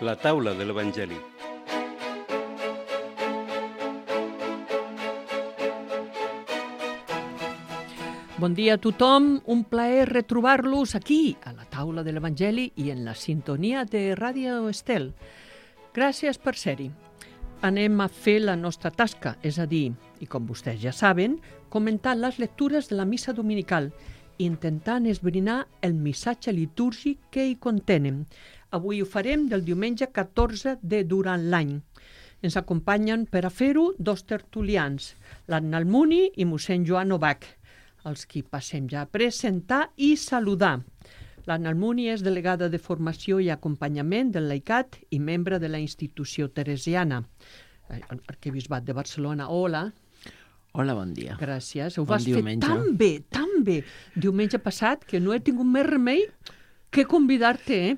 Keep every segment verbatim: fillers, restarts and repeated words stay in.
La taula de l'Evangeli. Bon dia a tothom, un plaer retrobar-los aquí, a la taula de l'Evangeli i en la sintonia de Ràdio Estel. Gràcies per ser-hi. Anem a fer la nostra tasca, és a dir, i com vostès ja saben, comentar les lectures de la missa dominical, intentant esbrinar el missatge litúrgic que hi contenen. Avui ho farem del diumenge catorze de durant l'any. Ens acompanyen per a fer-ho dos tertulians, l'Anna Almuni i mossèn Joan Obach, els qui passem ja a presentar i saludar. L'Anna Almuni és delegada de formació i acompanyament del laicat i membre de la institució teresiana. Arquebisbat de Barcelona, hola. Hola, bon dia. Gràcies. Ho Bon vas fer diumenge. tan bé, tan bé. Diumenge passat que no he tingut més remei que convidar-te, eh?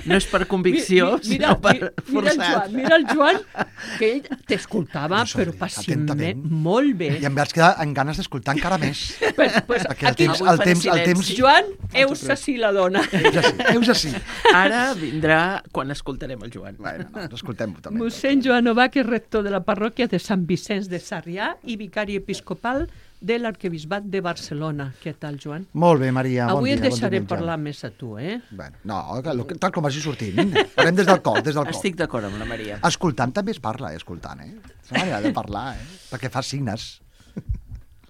No és per convicció, Mi- mi- mira, sinó per mi- mira el forçat. Joan, mira el Joan, que ell t'escoltava, No sé, però pacientment, atentament. molt bé. I em vaig quedar amb ganes d'escoltar encara més. Pues, pues, Perquè el aquí, temps, Avui el faré temps, el silenci. temps... Joan, heus així la dona. Heus així, heus així. Ara vindrà quan escoltarem el Joan. Bueno, no, escoltem-ho també. Mossèn Joan Obach és rector de la parròquia de Sant Vicenç de Sarrià i vicari episcopal de l'arquebisbat de Barcelona. Què tal, Joan? Molt bé, Maria, bon Avui dia. et deixaré bon diumenge. parlar més a tu, eh? Bueno, no, que- lo que- tal com vagi sortint. Farem des del cor, des del cor. Estic d'acord amb la Maria. Escoltant també es parla, eh, escoltant, eh? És una manera de parlar, eh? Perquè fa signes.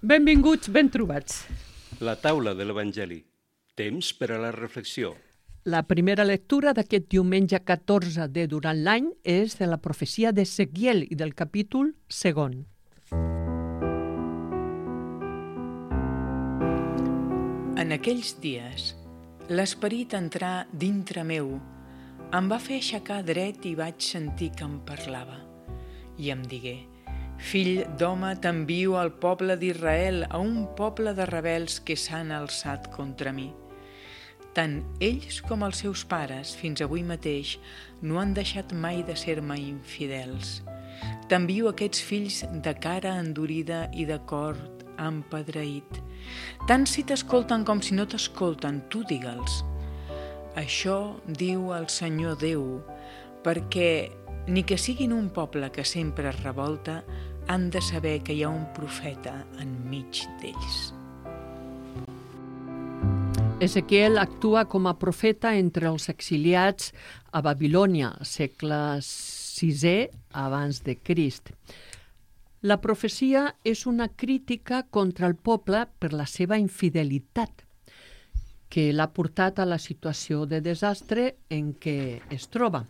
Benvinguts, ben trobats. La taula de l'Evangeli. Temps per a la reflexió. La primera lectura d'aquest diumenge catorze de durant l'any és de la profecia d'Ezequiel i del capítol segon. En aquells dies, l'esperit entrà dintre meu, em va fer aixecar dret i vaig sentir que em parlava. I em digué: fill d'home, t'envio al poble d'Israel, a un poble de rebels que s'han alçat contra mi. Tant ells com els seus pares, fins avui mateix, no han deixat mai de ser-me infidels. T'envio aquests fills de cara endurida i de cor empedreït. Tant si t'escolten com si no t'escolten, tu digue'ls. Això diu el Senyor Déu, perquè ni que siguin un poble que sempre es revolta, han de saber que hi ha un profeta enmig d'ells. Ezequiel actua com a profeta entre els exiliats a Babilònia, segle sisè abans de Crist. La profecia és una crítica contra el poble per la seva infidelitat, que l'ha portat a la situació de desastre en què es troba.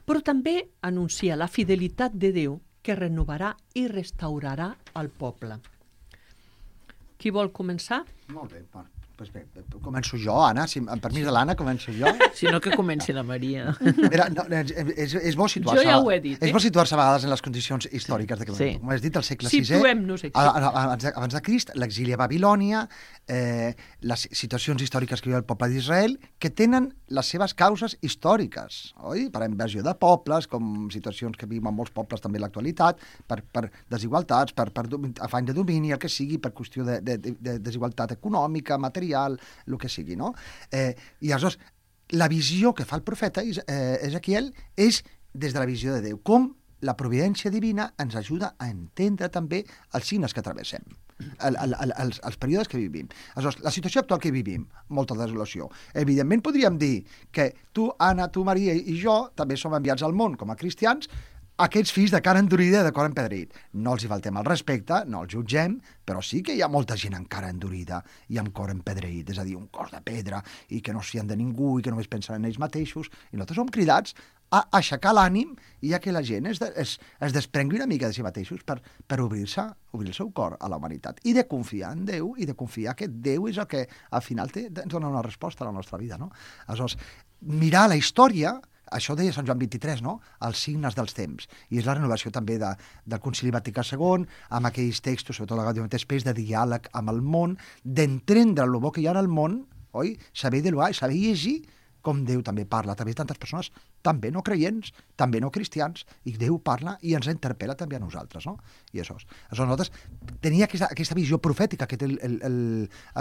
Però també anuncia la fidelitat de Déu que renovarà i restaurarà el poble. Qui vol començar? Molt bé, va. Pues bé, començo jo, Anna, si, amb permís de l'Anna, començo jo. Si no, que comenci la Maria. Mira, no, és, és, és bo situar-se... Jo ja ho he dit, És eh? bo situar-se a vegades en les condicions històriques de que, Sí. com has dit, el segle sisè, Situem-nos aquí. a- a- abans de, abans de Crist, l'exili a Babilònia, eh, les situacions històriques que viu el poble d'Israel, que tenen les seves causes històriques, oi? Per invasió de pobles, com situacions que viuen molts pobles també en l'actualitat, per, per desigualtats, per, per domi- afany de domini, el que sigui, per qüestió de, de, de, de desigualtat econòmica, material, el que sigui, no? Eh, I aleshores, la visió que fa el profeta Is- eh, Ezequiel és des de la visió de Déu, com la providència divina ens ajuda a entendre també els signes que travessem, el, el, el, els, els períodes que vivim. Aleshores, la situació actual que vivim, molta desolació. Evidentment podríem dir que tu, Anna, tu, Maria i jo també som enviats al món com a cristians, aquests fills de cara endurida i de cor empedreït. No els hi faltem el respecte, no els jutgem, però sí que hi ha molta gent amb cara endurida i amb cor empedreït, és a dir, un cor de pedra, i que no es fien de ningú i que només pensen en ells mateixos. I nosaltres som cridats a aixecar l'ànim i a que la gent es, de, es, es desprengui una mica de si mateixos per, per obrir-se, obrir el seu cor a la humanitat i de confiar en Déu i de confiar que Déu és el que al final té, ens dona una resposta a la nostra vida, no? Aleshores, mirar la història, això deia Sant Joan vint-i-tres, no? Els signes dels temps. I és la renovació també de, del Concili Vaticà segon, amb aquells textos, sobretot la Gaudium et Spes, de diàleg amb el món, d'entendre el bo que hi ha en el món, oi? Saber dialogar i saber llegir com Déu també parla a través de tantes persones, també no creients, també no cristians, i Déu parla i ens interpel·la també a nosaltres, no? I això, això nosaltres tenia aquesta, aquesta visió profètica que té el, el, el,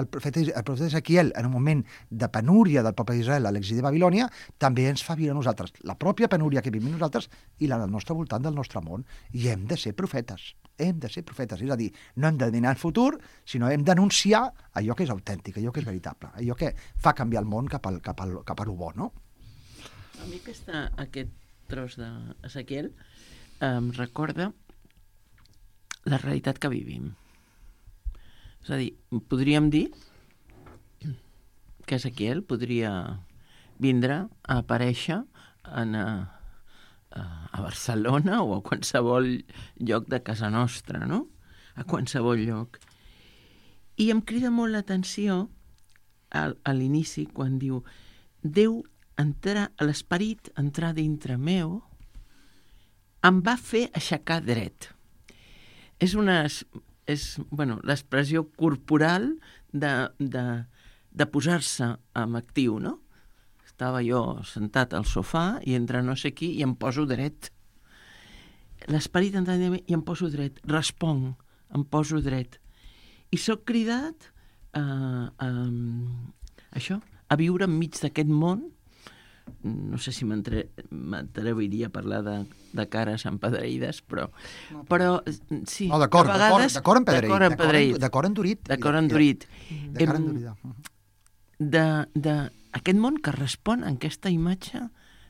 el, profeta, el profeta Ezequiel en un moment de penúria del poble d'Israel a l'exili de Babilònia, també ens fa viure a nosaltres la pròpia penúria que vivim nosaltres i la del nostre voltant del nostre món, i hem de ser profetes, hem de ser profetes, és a dir, no hem d'adivinar el futur, sinó hem d'anunciar allò que és autèntic, allò que és veritable, allò que fa canviar el món cap al, cap al, cap a lo bo, no? A mi aquesta, aquest tros d'Ezequiel em recorda la realitat que vivim. És a dir, podríem dir que Ezequiel podria vindre a aparèixer en, a, a Barcelona o a qualsevol lloc de casa nostra, no? A qualsevol lloc. I em crida molt l'atenció a, a l'inici quan diu Déu entrar, l'esperit entrar dintre meu, em va fer aixecar dret. És una, és, bueno, l'expressió corporal de, de, de posar-se en actiu, no? Estava jo sentat al sofà i entra no sé qui i em poso dret. L'esperit entra dintre meu i em poso dret. Responc, em poso dret. I sóc cridat a, a, això, a viure enmig d'aquest món. No sé si m'atreviria a parlar de, de cares empedreïdes, però, no, però sí, no, d'acord, a vegades... D'acord D'acord empedreït. D'acord endurit. D'acord endurit. De cara endurida. De, de aquest món que respon a aquesta imatge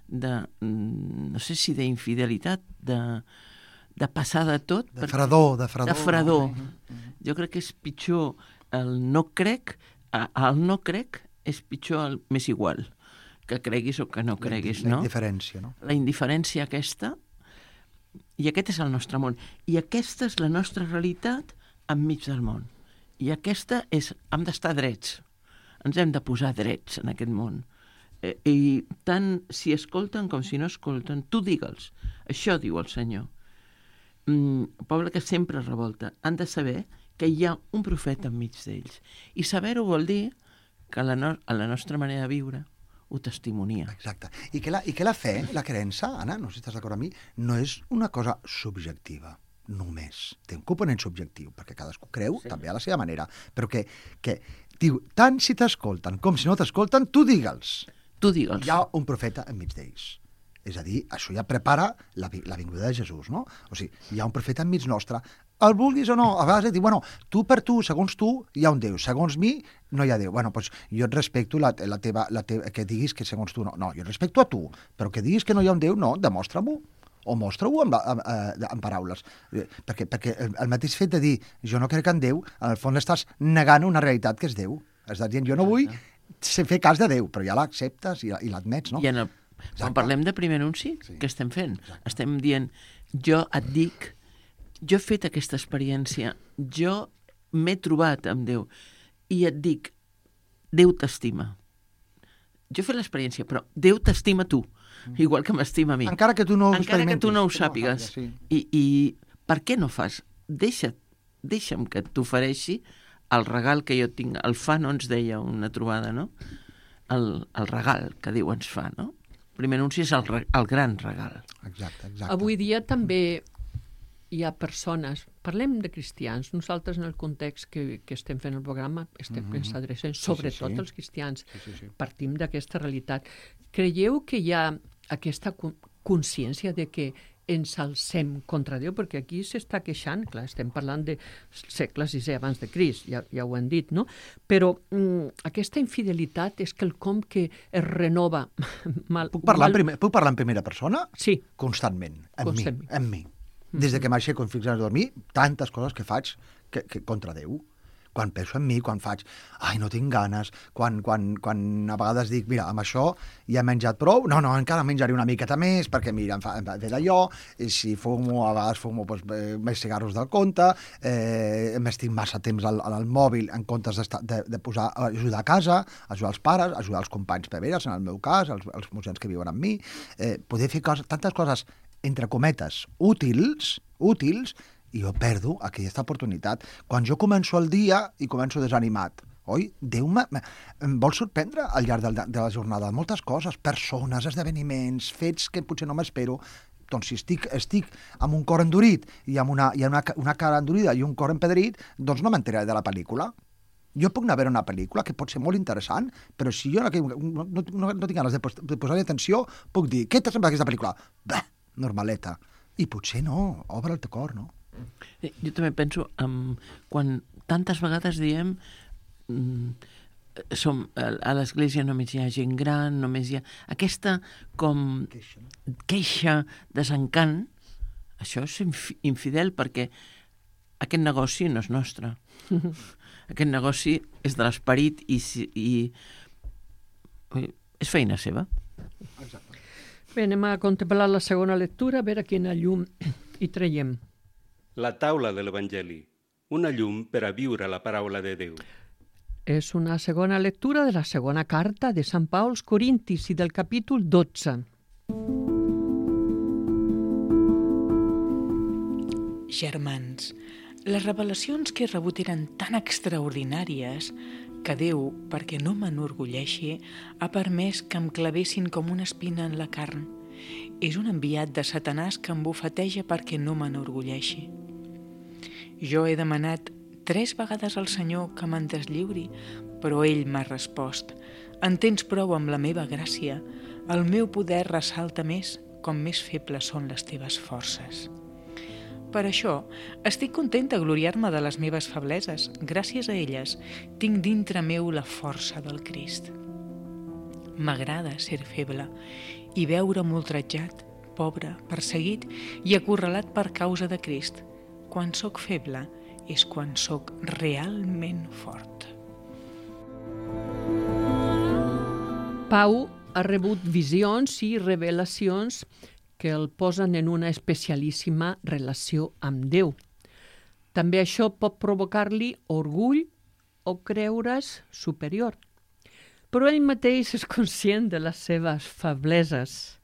de, no sé si d'infidelitat, de, de passar de tot. De fredor, de fredor. De fredor. No? Jo crec que és pitjor el no crec, el no crec és pitjor el més igual, que creguis o que no creguis, la, la no? La indiferència, no? La indiferència aquesta, i aquest és el nostre món. I aquesta és la nostra realitat enmig del món. I aquesta és... Hem d'estar drets. Ens hem de posar drets en aquest món. Eh, I tant si escolten com si no escolten, tu digue'ls. Això diu el Senyor. Mm, poble que sempre revolta. Han de saber que hi ha un profeta enmig d'ells. I saber-ho vol dir que la, no a la nostra manera de viure ho testimonia. Exacte. I que, la, I que la fe, la creença, Anna, no sé si estàs d'acord amb mi, no és una cosa subjectiva, només. Té un component subjectiu, perquè cadascú creu sí. també a la seva manera. Però que, que diu, tant si t'escolten com si no t'escolten, tu digue'ls. Tu digue'ls. Hi ha un profeta enmig d'ells. És a dir, això ja prepara la, la vinguda de Jesús, no? O sigui, hi ha un profeta enmig nostre, el vulguis o no, a vegades et diu, bueno, tu per tu, segons tu, hi ha un Déu, segons mi, no hi ha Déu. Bueno, doncs jo et respecto la, la teva, la teva, que diguis que segons tu no. No, jo et respecto a tu, però que diguis que no hi ha un Déu, no, demostra-m'ho, o mostra-ho amb, amb, amb paraules. Perquè, perquè el, el mateix fet de dir, jo no crec en Déu, en el fons estàs negant una realitat que és Déu. Estàs dient, jo no vull fer cas de Déu, però ja l'acceptes i, i l'admets, no? I en el, quan parlem de primer anunci, sí. Què estem fent? Exacte. Estem dient, jo et dic, jo he fet aquesta experiència, jo m'he trobat amb Déu i et dic, Déu t'estima. Jo he fet l'experiència, però Déu t'estima tu, mm. igual que m'estima a mi. Encara que tu no ho Encara que tu no ho sàpigues. No, sí. I, I per què no fas? Deixa't, deixa'm que t'ofereixi el regal que jo tinc. El fa no ens deia una trobada, no? El, el regal que Déu ens fa, no? El primer anunci és el, el gran regal. Exacte, exacte. Avui dia també hi ha persones, parlem de cristians, nosaltres en el context que, que estem fent el programa estem mm -hmm. adreçant sobretot sí, sí, sí. als cristians, sí, sí, sí. partim d'aquesta realitat. Creieu que hi ha aquesta consciència de que ens alcem contra Déu? Perquè aquí s'està queixant, clar, estem parlant de segle sisè abans de Crist, ja, ja ho hem dit, no? Però mm, aquesta infidelitat és quelcom que es renova. Mal, puc, parlar mal... en primer, puc parlar en primera persona? Sí. Constantment, amb Constantment. mi, amb mi. Des de que m'aixeco fins a dormir, tantes coses que faig que, que contra Déu. Quan penso en mi, quan faig, ai, no tinc ganes, quan, quan, quan a vegades dic, mira, amb això ja he menjat prou, no, no, encara menjaré una miqueta més, perquè, mira, em fa, em fa d'allò, i si fumo, a vegades fumo doncs, eh, més cigarros del compte, eh, m'estic massa temps al, al mòbil en comptes de, de posar, ajudar a casa, ajudar els pares, ajudar els companys preveres, en el meu cas, els, els mossens que viuen amb mi, eh, poder fer coses, tantes coses, entre cometes, útils, útils, i jo perdo aquesta oportunitat. Quan jo començo el dia i començo desanimat, oi? Déu me, me, em vol sorprendre al llarg de, de la jornada moltes coses, persones, esdeveniments, fets que potser no m'espero. Doncs si estic, estic amb un cor endurit i amb una, i una, una cara endurida i un cor empedrit, doncs no m'enteraré de la pel·lícula. Jo puc anar a veure una pel·lícula que pot ser molt interessant, però si jo no, no, no, no tinc ganes de, pos, de posar-hi atenció, puc dir, què t'ha semblat aquesta pel·lícula? Bah, normaleta. I potser no, obre el teu cor, no? Jo també penso, um, quan tantes vegades diem um, som, a l'església només hi ha gent gran, només hi ha... Aquesta com queixa, queixa desencant, això és inf infidel perquè aquest negoci no és nostre. Aquest negoci és de l'esperit i, i és feina seva. Exacte. Bé, anem a contemplar la segona lectura, a veure quina llum hi traiem. La taula de l'Evangeli, una llum per a viure la paraula de Déu. És una segona lectura de la segona carta de Sant Pau als Corintis i del capítol dotze. Germans, les revelacions que he rebut eren tan extraordinàries que Déu, perquè no m'enorgulleixi, ha permès que em clavessin com una espina en la carn. És un enviat de Satanàs que em bufeteja perquè no m'enorgulleixi. Jo he demanat tres vegades al Senyor que me'n deslliuri, però ell m'ha respost: en tens prou amb la meva gràcia, el meu poder ressalta més com més febles són les teves forces. Per això, estic contenta de gloriar-me de les meves febleses. Gràcies a elles, tinc dintre meu la força del Crist. M'agrada ser feble i veure'm ultratjat, pobre, perseguit i acorralat per causa de Crist. Quan sóc feble és quan sóc realment fort. Pau ha rebut visions i revelacions que el posen en una especialíssima relació amb Déu. També això pot provocar-li orgull o creure's superior. Però ell mateix és conscient de les seves febleses.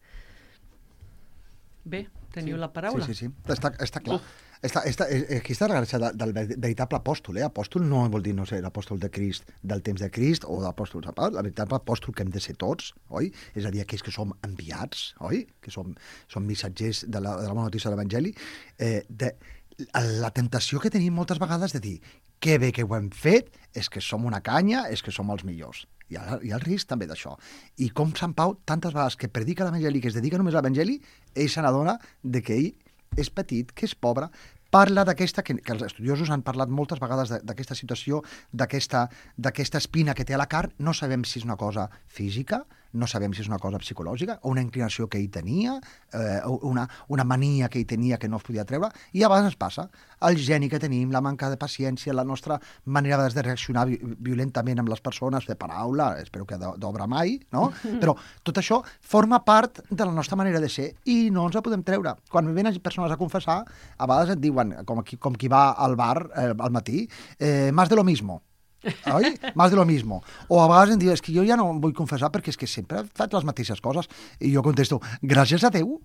Bé, teniu sí, la paraula. Sí, sí, sí. Està, està clar. Uh. Està, està, aquí està la gràcia del veritable apòstol. Eh? Apòstol no vol dir no sé, l'apòstol de Crist del temps de Crist o l'apòstol de Pau. La veritable apòstol que hem de ser tots, oi? És a dir, aquells que som enviats, oi? Que som, som missatgers de la, de la bona notícia de l'Evangeli. Eh, de, la tentació que tenim moltes vegades de dir que bé que ho hem fet, és que som una canya, és que som els millors. Hi ha, hi ha el risc també d'això. I com Sant Pau, tantes vegades que predica l'Evangeli, que es dedica només a l'Evangeli, ell se n'adona de que ell és petit, que és pobre, parla d'aquesta, que, que els estudiosos han parlat moltes vegades d'aquesta situació, d'aquesta espina que té a la carn. No sabem si és una cosa física, no sabem si és una cosa psicològica, o una inclinació que ell tenia, eh, una, una mania que ell tenia que no es podia treure, i a vegades ens passa. El geni que tenim, la manca de paciència, la nostra manera de reaccionar violentament amb les persones, de paraula, espero que d'obra mai, no? Però tot això forma part de la nostra manera de ser i no ens la podem treure. Quan venen persones a confessar, a vegades et diuen, com qui, com qui va al bar eh, al matí, eh, más de lo mismo. Oi? Más de lo mismo. O a vegades em diuen, és que jo ja no em vull confessar perquè és que sempre faig les mateixes coses. I jo contesto, gràcies a Déu,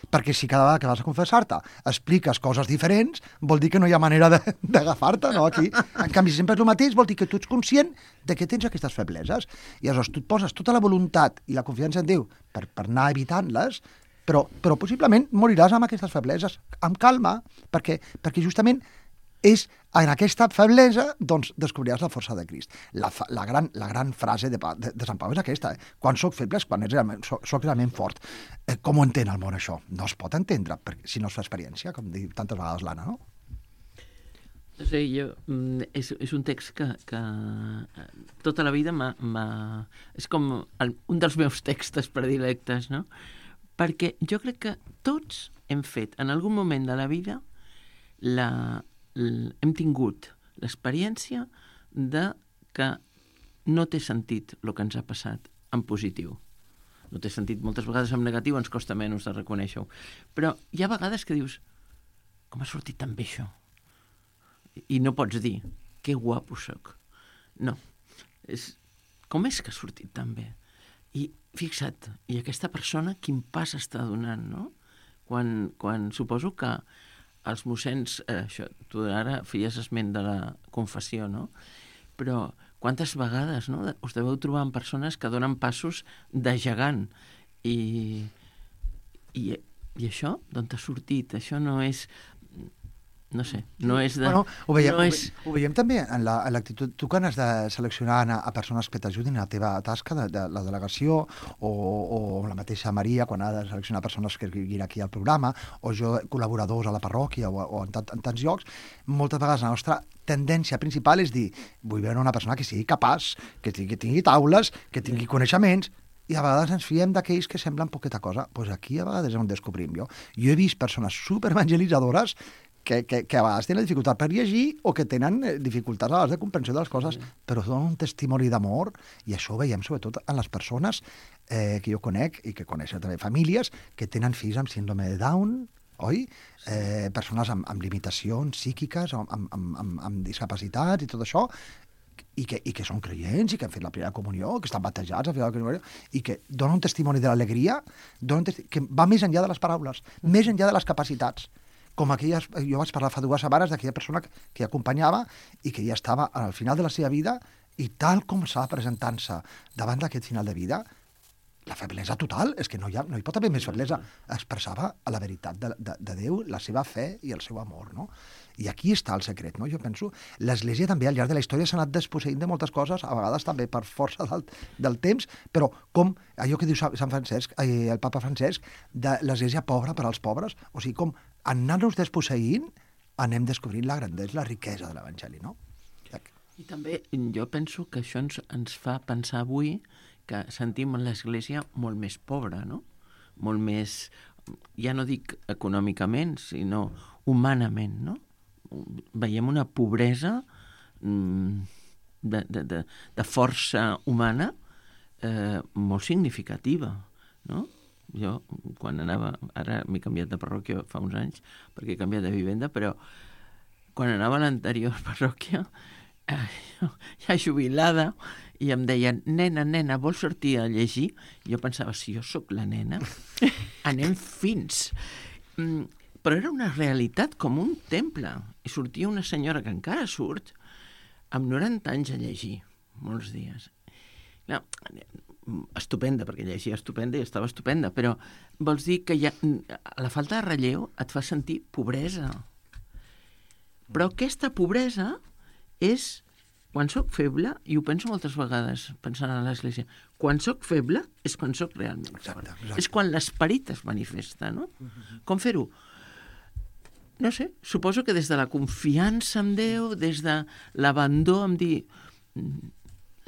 perquè si cada vegada que vas a confessar-te expliques coses diferents, vol dir que no hi ha manera d'agafar-te, no? Aquí, en canvi, si sempre és el mateix, vol dir que tu ets conscient de que tens aquestes febleses. I aleshores tu et poses tota la voluntat i la confiança en Déu per, per anar evitant-les, però, però possiblement moriràs amb aquestes febleses, amb calma, perquè, perquè justament és en aquesta feblesa, doncs, descobriràs la força de Crist. La, la, gran, la gran frase de, de, de Sant Pau és aquesta, eh? Quan soc feble és quan és realment, soc, soc realment fort. Eh, com ho entén el món, això? No es pot entendre, perquè, si no es fa experiència, com diu tantes vegades l'Anna, no? Sí, jo, és, és un text que, que tota la vida m'ha... És com el, un dels meus textos predilectes, no? Perquè jo crec que tots hem fet, en algun moment de la vida, la... hem tingut l'experiència de que no té sentit el que ens ha passat en positiu. No té sentit, moltes vegades en negatiu ens costa menys de reconèixer-ho. Però hi ha vegades que dius, com ha sortit tan bé això? I no pots dir, que guapo soc. No. És, com és que ha sortit tan bé? I fixa't, i aquesta persona quin pas està donant, no? Quan, quan suposo que els mossens, eh, això, tu ara feies esment de la confessió, no? Però quantes vegades, no?, us deveu trobar amb persones que donen passos de gegant. I, i, i això, d'on t'ha sortit? Això no és... No sé, no és de... Bueno, ho veiem, no ho, és... ho veiem també en la- en l'actitud. Tu quan has de seleccionar a, a persones que t'ajudin a la teva tasca de, de la delegació, o, o la mateixa Maria quan ha de seleccionar persones que vinguin aquí al programa, o jo, col·laboradors a la parròquia o, o en, tant, en tants llocs, moltes vegades la nostra tendència principal és dir, vull veure una persona que sigui capaç, que tingui, que tingui taules, que tingui coneixements, i a vegades ens fiem d'aquells que semblen poqueta cosa. Doncs pues aquí a vegades és on descobrim jo. Jo he vist persones superevangelitzadores que, que, que a vegades tenen dificultat per llegir o que tenen dificultats a vegades de comprensió de les coses, mm. però donen un testimoni d'amor, i això ho veiem sobretot en les persones eh, que jo conec i que coneixen també famílies que tenen fills amb síndrome de Down, oi? Sí. Eh, persones amb, amb limitacions psíquiques, amb, amb, amb, amb discapacitats i tot això, i que, i que són creients i que han fet la primera comunió, que estan batejats, han fet la comunió, i que donen un testimoni de l'alegria, donen un testi- que va més enllà de les paraules, mm. més enllà de les capacitats. Com aquelles, jo vaig parlar fa dues setmanes d'aquella persona que, que acompanyava i que ja estava al final de la seva vida, i tal com estava presentant-se davant d'aquest final de vida, la feblesa total, és que no hi, ha, no hi pot haver més feblesa, expressava la veritat de, de, de Déu, la seva fe i el seu amor, no? I aquí està el secret, no? Jo penso, l'Església també al llarg de la història s'ha anat desposseint de moltes coses, a vegades també per força del, del temps, però com allò que diu Sant Francesc, eh, el papa Francesc, de l'Església pobra per als pobres, o sigui, com anar-nos desposseint anem descobrint la grandesa, la riquesa de l'Evangeli, no? I també jo penso que això ens, ens fa pensar avui que sentim l'Església molt més pobra, no? Molt més, ja no dic econòmicament, sinó humanament, no? Veiem una pobresa mm, de, de, de, de força humana eh, molt significativa, no? Jo, quan anava, ara m'he canviat de parròquia fa uns anys, perquè he canviat de vivenda, però quan anava a l'anterior parròquia, eh, ja jubilada, i em deien, nena, nena, vols sortir a llegir? I jo pensava, si jo sóc la nena, anem fins. Mm, però era una realitat com un temple. I sortia una senyora que encara surt amb noranta anys a llegir, molts dies. No, estupenda, perquè llegia estupenda i estava estupenda, però vols dir que ja, la falta de relleu et fa sentir pobresa. Però aquesta pobresa és... Quan sóc feble, i ho penso moltes vegades pensant en l'Església, quan sóc feble és quan sóc realment fort. Exacte, exacte. És quan l'esperit es manifesta, no? Uh-huh. Com fer-ho? No sé, suposo que des de la confiança en Déu, des de l'abandó en dir...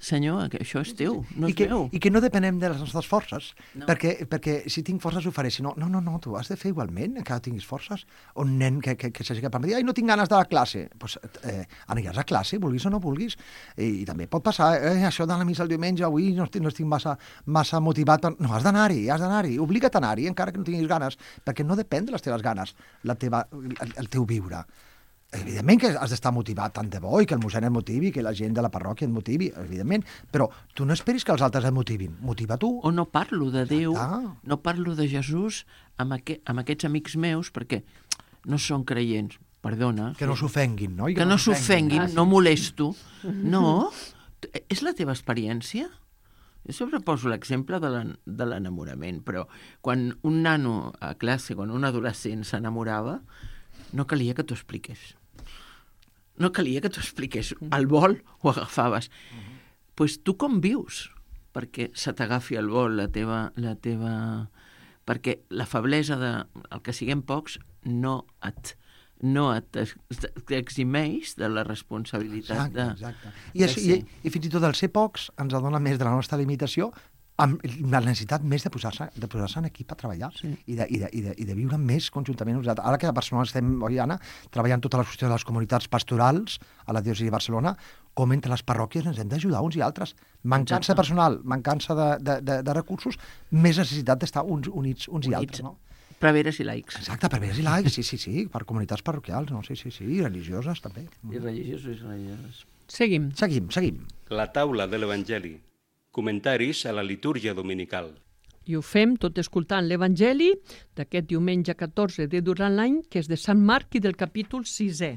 Senyor, que això és teu, no és I que, meu. I que no depenem de les nostres forces, No. perquè, perquè si tinc forces ho faré, si no, no, no, no, tu has de fer igualment, encara tinguis forces. Un nen que, que, que s'hagi capat de dir, ai, no tinc ganes de la classe, doncs eh, aniràs a classe, vulguis o no vulguis, i, i també pot passar, eh, això de la missa el diumenge, avui no estic, no estic massa, massa motivat, per... no, has d'anar-hi, has d'anar-hi, obliga't a anar-hi, encara que no tinguis ganes, perquè no depèn de les teves ganes, la teva, el, el teu viure. Evidentment que has d'estar motivat tant de bo i que el mossèn et motivi, que la gent de la parròquia et motivi, evidentment, però tu no esperis que els altres et motivin, motiva tu. O no parlo de Déu, Ah. no parlo de Jesús amb, aqu amb aquests amics meus perquè no són creients, perdona. Que no s'ofenguin, no? I Que no s'ofenguin, no molesto. No, és la teva experiència. Jo sempre poso l'exemple de l'enamorament, però quan un nano a classe, quan un adolescent s'enamorava, no calia que t'ho expliqués. No calia que t'ho expliqués. Al vol ho agafaves. Doncs uh-huh. pues tu com vius? Perquè se t'agafi al vol la teva, la teva... Perquè la feblesa de... El que siguem pocs no et, no et eximeix de la responsabilitat exacte, de... Exacte. I, és, i, I fins i tot el ser pocs ens adona més de la nostra limitació amb la necessitat més de posar-se de posar-se en equip a treballar, sí. i, de, i, de, i, de, i de viure més conjuntament. Ara que a Barcelona estem, oi, Anna, treballant totes les qüestions de les comunitats pastorals a la diòcesi de Barcelona, com entre les parròquies ens hem d'ajudar uns i altres. Mancança de personal, mancança de, de, de, de recursos, més necessitat d'estar uns units uns units. i altres, no? Preveres i laics. Exacte, preveres i laics, sí, sí, sí, per comunitats parroquials, no? Sí, sí, sí, i religioses també. I religiosos i religioses. Seguim. Seguim, seguim. La taula de l'Evangeli. Comentaris a la litúrgia dominical. I ho fem tot escoltant l'Evangeli d'aquest diumenge catorze de durant l'any, que és de Sant Marc i del capítol sisè.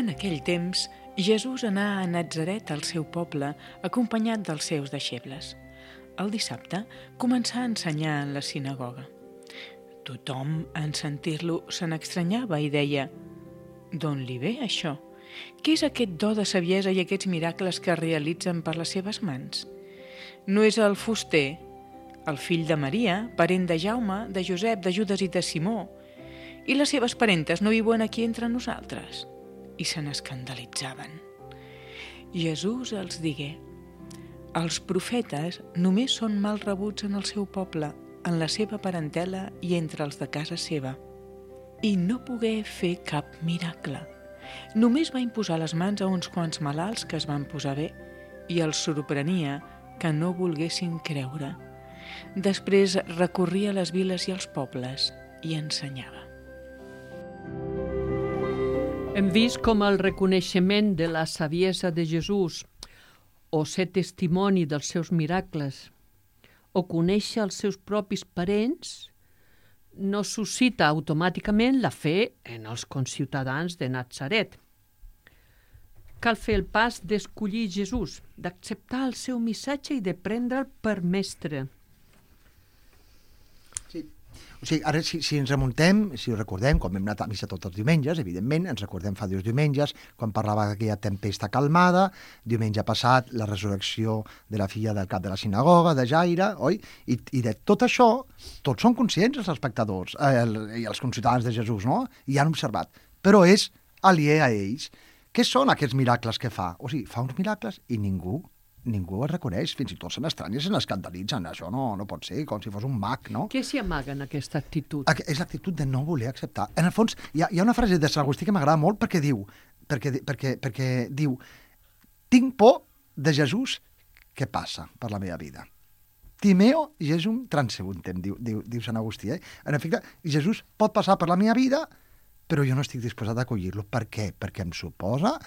En aquell temps, Jesús anà a Natzaret, al seu poble, acompanyat dels seus deixebles. El dissabte començà a ensenyar en la sinagoga. Tothom, en sentir-lo, se n'estranyava i deia: «D'on li ve això? Què és aquest do de saviesa i aquests miracles que es realitzen per les seves mans? No és el fuster, el fill de Maria, parent de Jaume, de Josep, de Judes i de Simó? I les seves parentes no viuen aquí entre nosaltres?» I se n'escandalitzaven. Jesús els digué: «Els profetes només són mal rebuts en el seu poble, en la seva parentela i entre els de casa seva. I no pogué fer cap miracle. Només va imposar les mans a uns quants malalts que es van posar bé i els sorprenia que no volguessin creure. Després recorria les viles i els pobles i ensenyava». Hem vist com el reconeixement de la saviesa de Jesús, o ser testimoni dels seus miracles, o conèixer els seus propis parents, no suscita automàticament la fe en els conciutadans de Natzaret. Cal fer el pas d'escollir Jesús, d'acceptar el seu missatge i de prendre'l per mestre. Sí. O sigui, ara, si, si ens remuntem, si ho recordem, quan vam anar a missa tots els diumenges, evidentment, ens recordem fa dos diumenges, quan parlava d'aquella tempesta calmada, diumenge passat, la resurrecció de la filla del cap de la sinagoga, de Jaire, oi? I, i de tot això, tots són conscients, els espectadors, eh, el, i els conciutadans de Jesús, no? I han observat. Però és aliè a ells. Què són aquests miracles que fa? O sigui, fa uns miracles i ningú ningú els reconeix, fins i tot se n'estranya, se n'escandalitzen. Això no, no pot ser, com si fos un mag, no? Què s'hi amaga en aquesta actitud? És l'actitud de no voler acceptar. En el fons, hi ha, hi ha una frase de Sant Agustí que m'agrada molt perquè diu, perquè, perquè, perquè diu, tinc por de Jesús que passa per la meva vida. Timeo Jesum transebuntem, diu, diu, diu Sant Agustí. Eh? En efecte, Jesús pot passar per la meva vida, però jo no estic disposat a acollir-lo. Per què? Perquè em suposa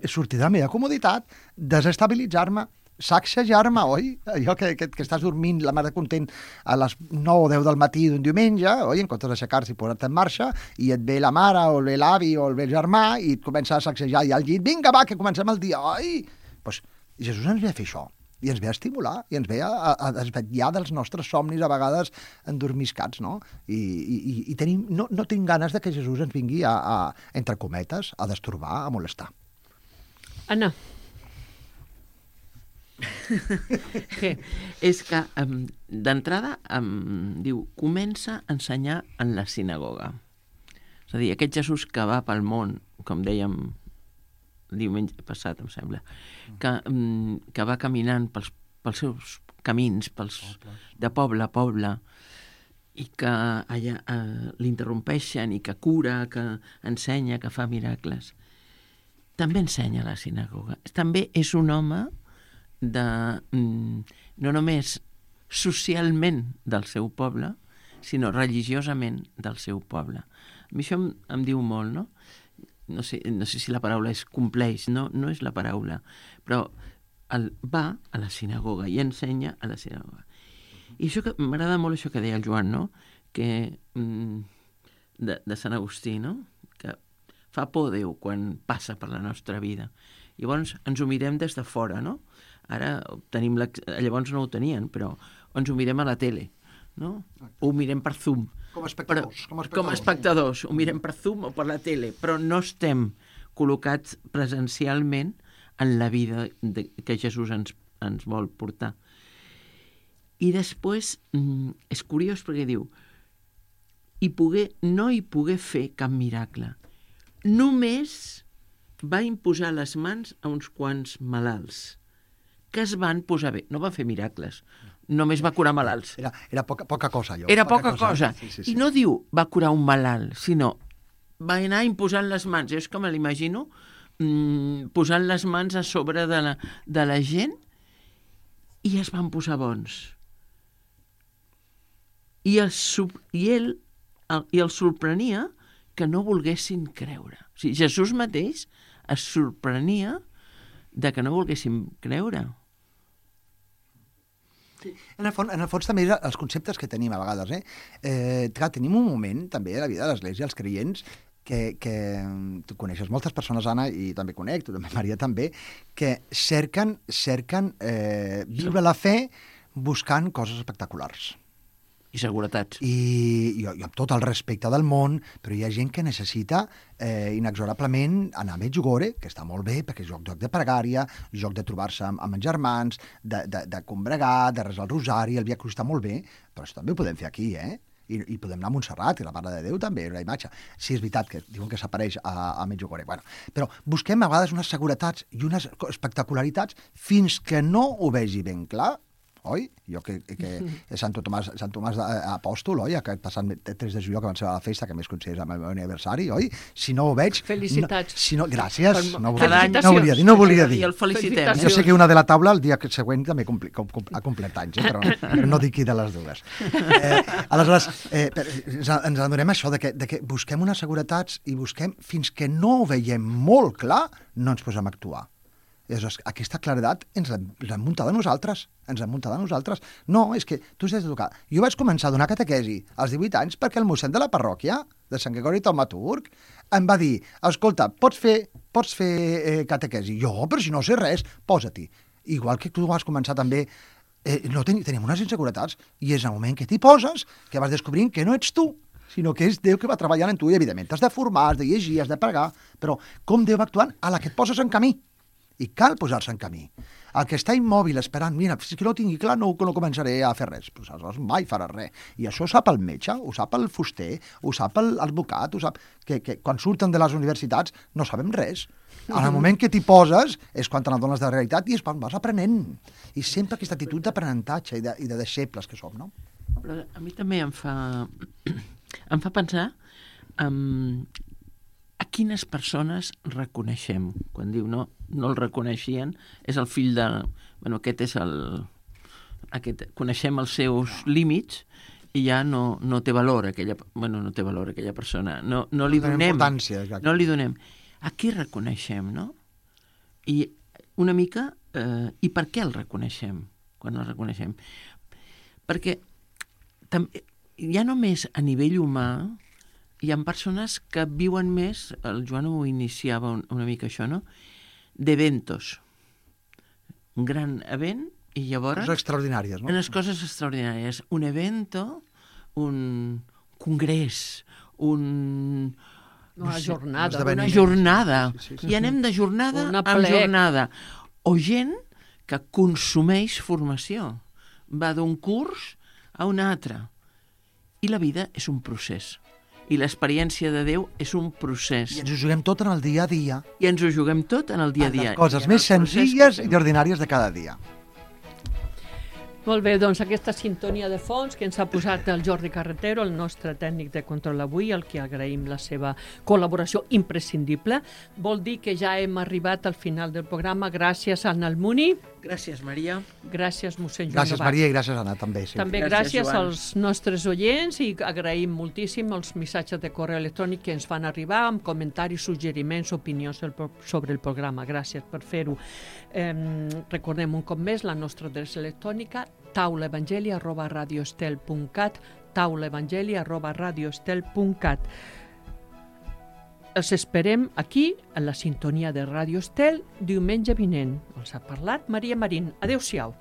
sortir de la meva comoditat, desestabilitzar-me, sacsejar-me, oi? Allò que, que, que estàs dormint la mare content a les nou o deu del matí d'un diumenge, oi? En comptes d'aixecar-se i posar-te en marxa, i et ve la mare o ve l'avi o el ve el germà i et comença a sacsejar i al llit, vinga, va, que comencem el dia, oi? Doncs Jesús ens ve a fer això, i ens ve a estimular, i ens ve a, a, a desvetllar dels nostres somnis, a vegades endormiscats, no? I, i, i tenim, no, no tinc ganes de que Jesús ens vingui a, a, entre cometes, a destorbar, a molestar. Anna. Què? És que, um, d'entrada, um, diu, comença a ensenyar en la sinagoga. És a dir, aquest Jesús que va pel món, com dèiem diumenge passat, em sembla, que, um, que va caminant pels, pels seus camins, pels, de poble a poble, i que allà uh, l'interrompeixen, i que cura, que ensenya, que fa miracles. També ensenya a la sinagoga. També és un home de, mm, no només socialment del seu poble, sinó religiosament del seu poble. A mi això em, em diu molt, no? No sé, no sé si la paraula és compleix, no, no és la paraula, però el, va a la sinagoga i ensenya a la sinagoga. I això que m'agrada molt això que deia el Joan, no? Que, mm, de, de Sant Agustí, no? Que fa por Déu quan passa per la nostra vida. Llavors ens ho mirem des de fora, no? Ara tenim la... llavors no ho tenien, però ens ho mirem a la tele, no? Ho mirem per Zoom. Com a espectadors. Però, com a espectadors, com a espectadors. Ho mirem per Zoom o per la tele, però no estem col·locats presencialment en la vida de, que Jesús ens, ens vol portar. I després mm, és curiós perquè diu i pogué, no hi pogué fer cap miracle. Només va imposar les mans a uns quants malalts que es van posar bé. No va fer miracles, només va curar malalts. Era, era poca, poca cosa, allò. Era poca, poca cosa. cosa. Sí, sí, sí. I no diu va curar un malalt, sinó va anar imposant les mans. Jo és que me l'imagino mmm, posant les mans a sobre de la, de la gent i es van posar bons. I, el, i ell el, i el sorprenia que no volguessin creure. O sigui, Jesús mateix es sorprenia de que no volguessin creure. Sí. En, el fons, en el fons també els conceptes que tenim a vegades. Eh? Eh, clar, tenim un moment també a la vida de l'Església, els creients, que, que tu coneixes moltes persones, Anna, i també conec, tu també, Maria, també, que cerquen, cerquen eh, viure la fe buscant coses espectaculars. I seguretats. I, i, i amb tot el respecte del món, però hi ha gent que necessita eh, inexorablement anar a Medjugorje, que està molt bé, perquè és joc, joc de pregària, joc de trobar-se amb, amb els germans, de, de, de combregar, de resar el rosari, el Via Crucis està molt bé, però això també ho podem fer aquí, eh? I, i podem anar a Montserrat, i la Mare de Déu també, una imatge. Sí, és veritat que diuen que s'apareix a, a Medjugorje. Bueno, però busquem a vegades unes seguretats i unes espectacularitats fins que no ho vegi ben clar, oi? Jo que, que és Sant Tomàs, Sant Tomàs Apòstol, oi? Aquest passat tres de juliol que van ser a la festa, que més considera el meu aniversari, oi? Si no ho veig... Felicitats. No, si no, gràcies. Per, no, volia, no volia dir, no volia dir. I el felicitem. Jo sé que una de la taula el dia següent també compli, com, com, ha complert anys, eh? però, però no dic qui de les dues. Eh, aleshores, eh, per, ens, ens adonem això, de que, de que busquem unes seguretats i busquem, fins que no ho veiem molt clar, no ens posem a actuar. I aleshores, aquesta claredat ens l'hem muntada nosaltres, ens l'hem muntada nosaltres. No, és que tu has de tocar. Jo vaig començar a donar catequesi als divuit anys perquè el mossèn de la parròquia, de Sant Gregori Taumaturg, em va dir, escolta, pots fer, pots fer eh, catequesi? Jo, però si no sé res, posa-t'hi. Igual que tu vas començar també, eh, no ten, tenim unes inseguretats, i és el moment que t'hi poses que vas descobrint que no ets tu, sinó que és Déu que va treballant en tu, i evidentment t'has de formar, has de llegir, has de pregar, però com Déu va actuant a la que et poses en camí. I cal posar-se en camí. El que està immòbil esperant, mira, si que no ho tingui clar, no, no començaré a fer res. Pues aleshores mai faràs res. I això ho sap el metge, ho sap el fuster, ho sap l'advocat, ho sap... Que, que quan surten de les universitats no sabem res. En el moment que t'hi poses és quan te n'adones de la realitat i és quan vas aprenent. I sempre aquesta actitud d'aprenentatge i, de, i de deixebles que som, no? Però a mi també em fa, em fa pensar um, a quines persones reconeixem. Quan diu no, no el reconeixien, és el fill de... Bueno, aquest és el... Aquest, coneixem els seus límits i ja no, no té valor aquella... Bueno, no té valor aquella persona. No, no li donem... No li donem. A qui reconeixem, no? I una mica... Eh, I per què el reconeixem, quan el reconeixem? Perquè també, ja només a nivell humà hi ha persones que viuen més, el Joan ho iniciava un, una mica això, no? D'eventos. Un gran event i llavors... Coses extraordinàries, no? Unes coses extraordinàries. Un evento, un congrés, un... Una jornada. Una jornada. Sí, sí, sí. I anem de jornada Una en plec. jornada. O gent que consumeix formació. Va d'un curs a un altre. I la vida és un procés. I l'experiència de Déu és un procés. I ens ho juguem tot en el dia a dia. I ens ho juguem tot en el dia a dia. Les coses més senzilles i ordinàries de cada dia. Molt bé, doncs aquesta sintonia de fons que ens ha posat el Jordi Carretero, el nostre tècnic de control avui, al que agraïm la seva col·laboració imprescindible, vol dir que ja hem arribat al final del programa. Gràcies a Almuni. Gràcies, Maria. Gràcies, mossèn Joan Gràcies, Novar. Maria, i gràcies, Anna, també. Sí. També Gràcies, gràcies Joan. als nostres oients i agraïm moltíssim els missatges de correu electrònic que ens fan arribar amb comentaris, suggeriments, opinions sobre el programa. Gràcies per fer-ho. Eh, recordem un cop més la nostra adreça electrònica taulaevangeli arroba radioestel punt cat taulaevangeli arroba radioestel punt cat. Els esperem aquí, a la sintonia de Ràdio Estel, diumenge vinent. Els ha parlat Maria Marín. Adéu-siau.